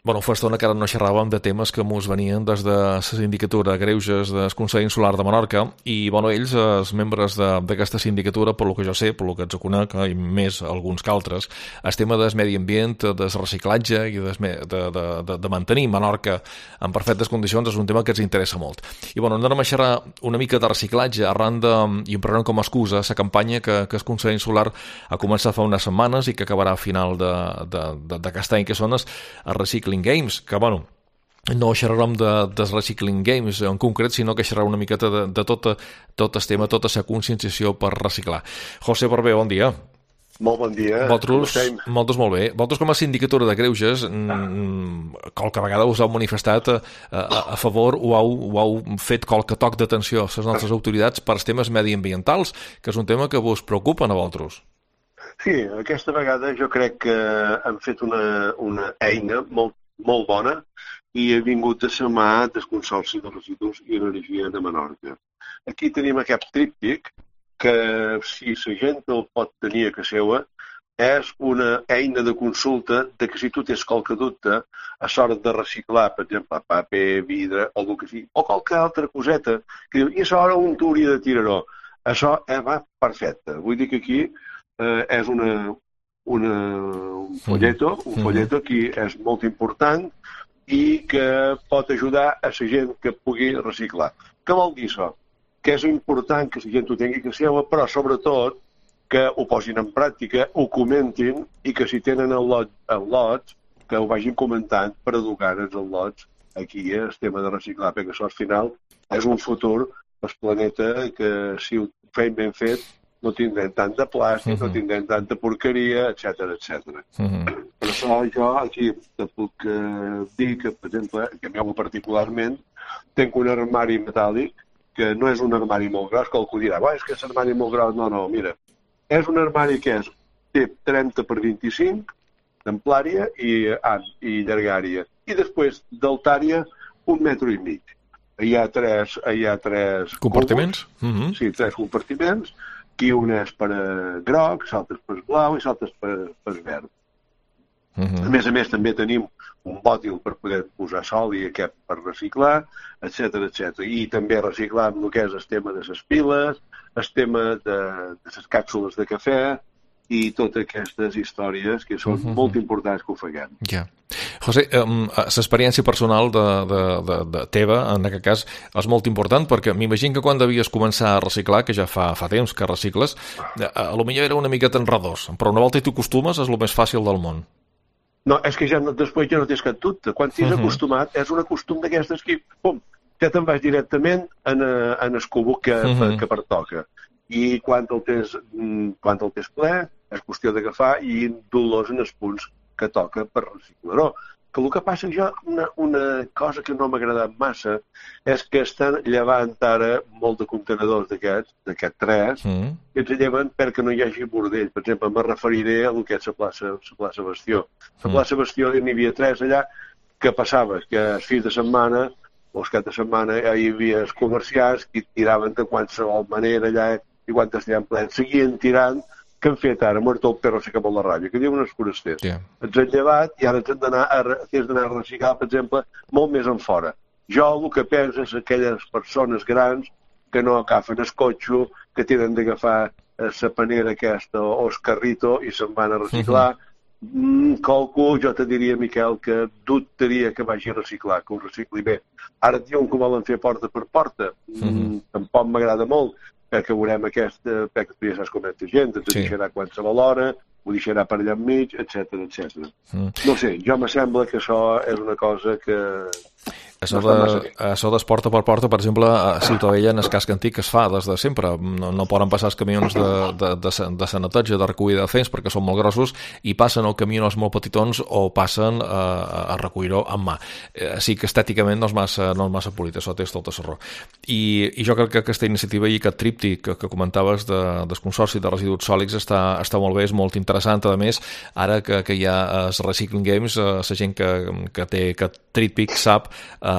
Bueno, fa estona que ara no xerràvem de temes que mos venien des de la sindicatura de Greuges del Consell Insular de Menorca i, bueno, ells, els membres d'aquesta sindicatura, per lo que jo sé, per lo que ens conec, i més alguns que altres, el tema del medi ambient, del reciclatge i de mantenir Menorca en perfectes condicions és un tema que ens interessa molt. I, bueno, anem a xerrar una mica de reciclatge arran de, i em prenem com a excusa, la campanya que el Consell Insular ha començat fa unes setmanes i que acabarà a final d'aquest any, que són els Recycling Games, que, bueno, no xerrarem de Recycling Games en concret, sinó que xerrarem una miqueta de tot el tema, tota la conscienciació per reciclar. José Barbé, bon dia. Molt bon dia. Vosaltres, molt bé. Vosaltres, com a sindicatura de Greuges, qualque vegada us heu manifestat a favor o heu fet qualque toc d'atenció a les nostres autoritats per als temes mediambientals, que és un tema que vos preocupa a vosaltres. Sí, aquesta vegada jo crec que hem fet una eina molt bona i ha vingut de la mà del Consorci de Residus i Energia de Menorca. Aquí tenim aquest tríptic que, si la gent el pot tenir a casa seva, és una eina de consulta de que si tu tens qualque dubte a l'hora de reciclar, per exemple, paper, vidre o el que sigui, o qualque altra coseta, que diu, i a l'hora on tu hauria de tirar-ho? Això va perfecte. Vull dir que aquí és un folleto que és molt important i que pot ajudar a la gent que pugui reciclar. Què vol dir això? Que és important que la gent ho tingui que seva, però sobretot que ho posin en pràctica, ho comentin i que si tenen el lots, que ho vagin comentant per educar-nos els lots aquí, el tema de reciclar, perquè això al final és un futur pel planeta que si ho fem ben fet no tindrem tant de plàstic, no tindrem tanta porqueria, etc. Per això jo aquí te puc dir que, per exemple, que jo particularment tinc un armari metàl·lic que no és un armari molt gros, que algú dirà, és que és un armari molt gros. No, mira, és un armari que té 30 per 25 d'amplària i llargària. I després d'altària 1,5 metres. Hi ha tres compartiments? Sí, 3 compartiments. Aquí un és per groc, l'altre és per blau i l'altre és per verd. A més, també tenim un bòtil per poder posar sol i aquest per reciclar, etc. I també reciclar amb el que és el tema de les piles, el tema de les càpsules de cafè i totes aquestes històries que són molt importants que ho faguem. Ja. José, l'experiència personal de teva, en aquest cas, és molt important, perquè m'imagino que quan devies començar a reciclar, que ja fa temps que recicles, potser era una miqueta enredós, però una volta tu acostumes és el més fàcil del món. No, és que després ja no tens cap dubte. Quan t'has acostumat, és un acostum d'aquestes que, pum, ja te'n vas directament en el cubo que pertoca. I quan el tens ple, és qüestió d'agafar i dur-los en els punts que toca per reciclar-ho. Que el que passa jo, una cosa que no m'ha agradat massa, és que estan llevant ara molt de contenedors d'aquests 3, que ens lleven perquè no hi hagi bordell. Per exemple, me referiré a el que és la plaça Bastió. La plaça Bastió n'hi havia 3 allà, que passava que els fins de setmana o els caps de setmana hi havia els comerciants que tiraven de qualsevol manera allà i quan estaven plens seguien tirant. Què han fet ara? Muerto el perro se acabó la ràbia, que diuen els forasters. Ens han llevat i ara tens d'anar a reciclar, per exemple, molt més en fora. Jo el que penso és aquelles persones grans que no agafen el cotxe, que tenen d'agafar la panera aquesta o el carrito i se'n van a reciclar. Qualcú, jo te diria, Miquel, que dubtaria que vagi a reciclar, que ho recicli bé. Ara diuen que ho volen fer porta per porta. Tampoc m'agrada molt, perquè veurem perquè tu ja saps com és la gent, ens deixarà qualsevol hora, ho deixarà per allà enmig, etc. No sé, jo me sembla que això és una cosa que... Això d'esporta per porta, per exemple, a Ciutadella, en el casc antic que es fa des de sempre. No poden passar els camions de sanatge, de recollida de fems, perquè són molt grossos, i passen els camions molt petitons o passen a recollir-ho amb mà. Sí que estèticament no és massa polit, això tens tota la raó. I jo crec que aquesta iniciativa i aquest tríptic que comentaves del Consorci de Residus Sòlids està molt bé, és molt interessant. A més, ara que hi ha els Recycling Games, la gent que té aquest tríptic sap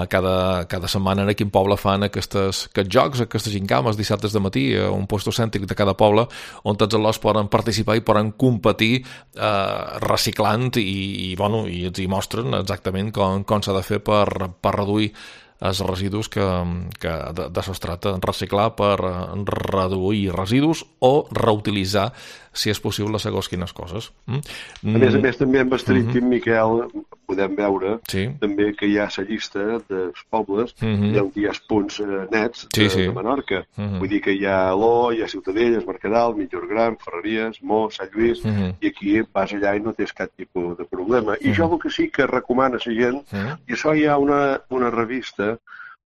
cada setmana en quin poble fan aquests jocs, aquestes gincames dissabtes de matí, un puesto cèntric de cada poble on tots els poden participar i poden competir reciclant i ens hi mostren exactament com s'ha de fer per reduir els residus que d'això es tracta, reciclar per reduir residus o reutilitzar, si és possible, segons quines coses. A més, també amb Estrictim, Miquel, podem veure també que hi ha la llista dels pobles, hi ha uns punts nets de Menorca. Vull dir que hi ha Aló, hi ha Ciutadella, Es Mercadal, Mitjorgran, Ferreries, Mó, Sant Lluís, i aquí vas allà i no tens cap tipus de problema. I jo el que sí que recomano a la gent, i això hi ha una revista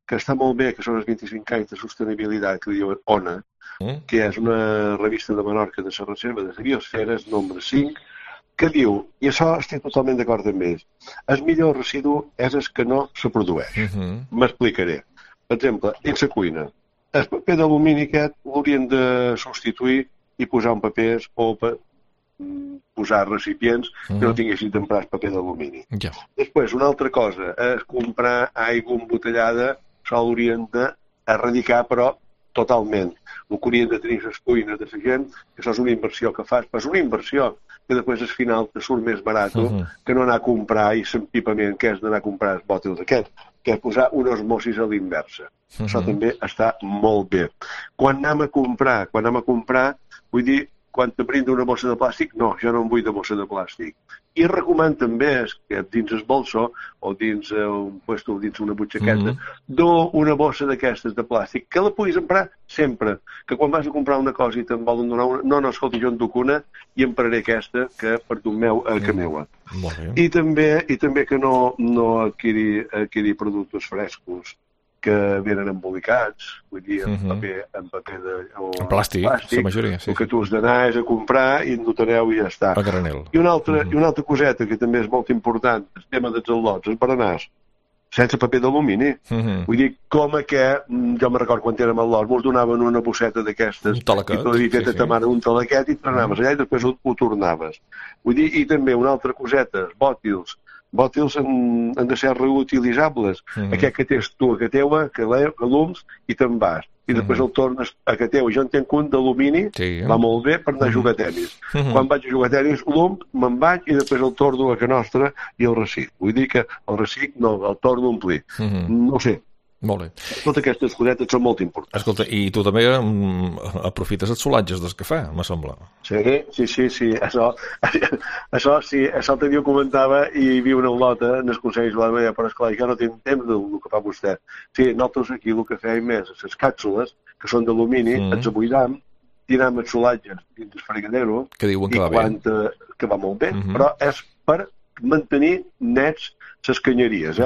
que està molt bé, que són els 25 anys de sostenibilitat, que diuen ONA, que és una revista de Menorca de la Reserva de Biosferes, nombre 5, que diu, i això estic totalment d'acord amb ells, el millor residu és el que no se produeix. M'explicaré. Per exemple, dins la cuina, el paper d'alumini aquest l'haurien de substituir i posar un paper o posar recipients que no tinguessin d'emprar paper d'alumini. Després, una altra cosa és comprar aigua embotellada, això l'haurien d'erradicar, però totalment. El que haurien de tenir les cuines de la gent, que això és una inversió que fas, però és una inversió que després al final te surt més barat que no anar a comprar i l'empipament que és d'anar a comprar els bòtils d'aquests, que és posar una osmosis a l'inversa. Això també està molt bé. Quan anem a comprar, vull dir, quan te brinda una bossa de plàstic, no, jo no em vull de bossa de plàstic. I recomano també que dins el bolso o dins un puesto, dins una butxaqueta, una bossa d'aquestes de plàstic, que la puguis emprar sempre. Que quan vas a comprar una cosa i te'n volen donar una, no, escolta, jo en duc una i empraré aquesta que per tu meu que meua. I també que no adquirir productes frescos que venen embolicats, vull dir, en paper en plàstic, la majoria, el que tu has d'anar és a comprar i endotareu i ja està. A granel. I una altra coseta que també és molt important, el tema dels al·lots, els berenars, sense paper d'alumini. Vull dir, com que, jo me recordo quan érem al·lots, mos donaven una bosseta d'aquestes, un talaquet, un talaquet i t'anaves allà i després ho tornaves. Vull dir, i també una altra coseta, bòtils han de ser reutilitzables. Aquest que tens tu a ca teua, que l'ums i te'n vas. I després el tornes a ca teua. Jo en tenc un d'alumini, va molt bé per anar a jugar a tenis. Quan vaig a jugar a tenis, l'um, me'n vaig i després el torno a ca nostra i el recic. Vull dir que el recic no, el torno a omplir. No ho sé. Molt bé. Totes aquestes cosetes són molt importants. Escolta, i tu també aprofites els solatges del cafè, me sembla. Sí. Això sí, això l'altre dia ho comentava i hi havia una olota en el Consell de la Media, però esclar, jo no tinc temps del que fa vostè. Sí, nosaltres aquí el que fèiem és les càpsules, que són d'alumini, ens abuidam, tirem els solatges dins el fregadero, que diuen que va bé. Que va molt bé, però és per mantenir nets les canyeries,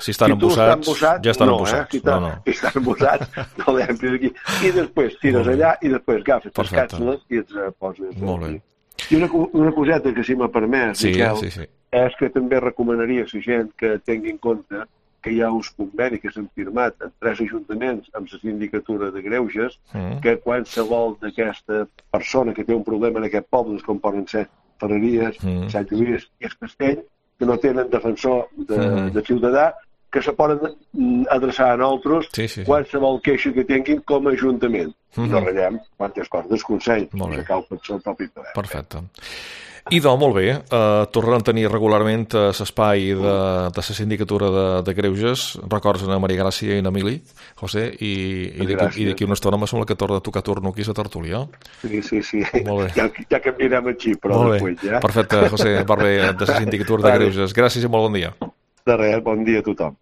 Si estan embossats, ja estan embossats. Si estan embossats, no l'empris aquí. I després tires allà i després agafes les càpsules i els poses. Molt bé. I una coseta que si m'ha permès, Miquel, és que també recomanaria a la gent que tingui en compte que hi ha uns convenis que s'han firmat en 3 ajuntaments amb la sindicatura de greuges, que qualsevol d'aquesta persona que té un problema en aquest poble, com poden ser Ferreries, Sant Lluís i el Castell, que no tenen defensor de ciutadà, que se poden adreçar a nosaltres qualsevol queixa que tinguin com a ajuntament. No ratllem quantes coses del Consell, que cal per el propi poder. Perfecte. I doncs, molt bé, tornaran a tenir regularment l'espai de la sindicatura de greuges, records a Maria Gràcia i a Emili, José, i d'aquí una estona me sembla que torna a tocar turno aquí a tertúlia. Sí. Ja canviarem així, però després ja. Perfecte, José Barber, de la sindicatura de greuges. Gràcies i molt bon dia. De res, bon dia a tothom.